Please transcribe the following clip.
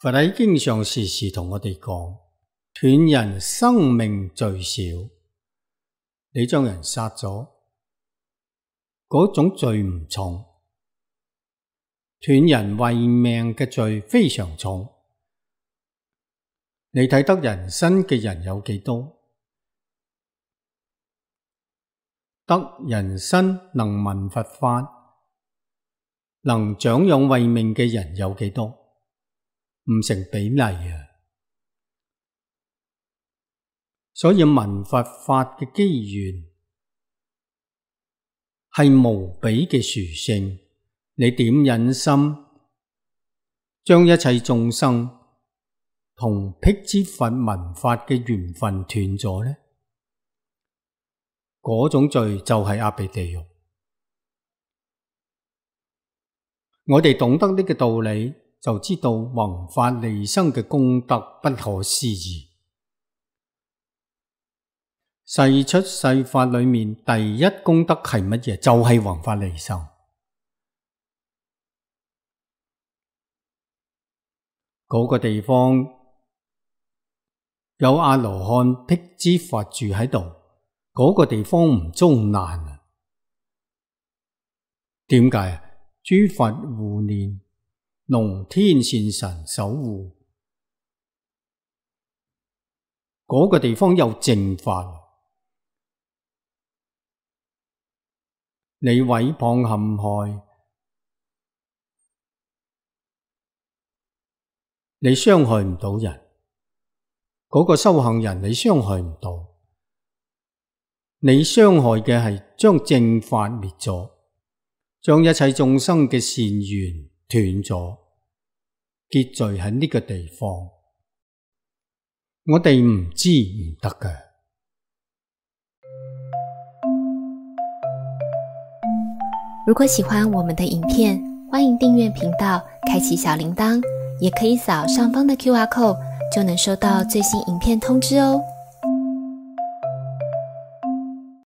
佛喺經上時時同我哋講，斷人生命罪少，你將人殺咗，嗰種罪唔重，斷人慧命嘅罪非常重。你睇得人身嘅人有幾多？得人身能聞佛法，能長養慧命嘅人有幾多？唔成比例啊！所以聞佛法嘅機緣係無比嘅殊勝，你點忍心將一切眾生同辟支佛聞法嘅緣分斷咗呢？嗰種罪就係阿鼻地獄。我哋懂得呢個道理，就知道弘法利生嘅功德不可思議。世出世法裏面第一功德係乜嘢？就係弘法利生。嗰個地方有阿羅漢辟支佛住喺度，嗰個地方唔遭難啊？點解啊？諸佛護念，龍天善神守護，嗰個地方有正法。你毀謗陷害，你傷害唔到人，嗰個修行人你傷害唔到，你傷害嘅係將正法滅咗，將一切眾生嘅善緣斷咗，結聚喺呢個地方，我哋唔知唔得㗎。如果喜歡我們的影片，歡迎訂閱頻道，開啟小鈴鐺，也可以掃上方的QR code，就能收到最新影片通知哦。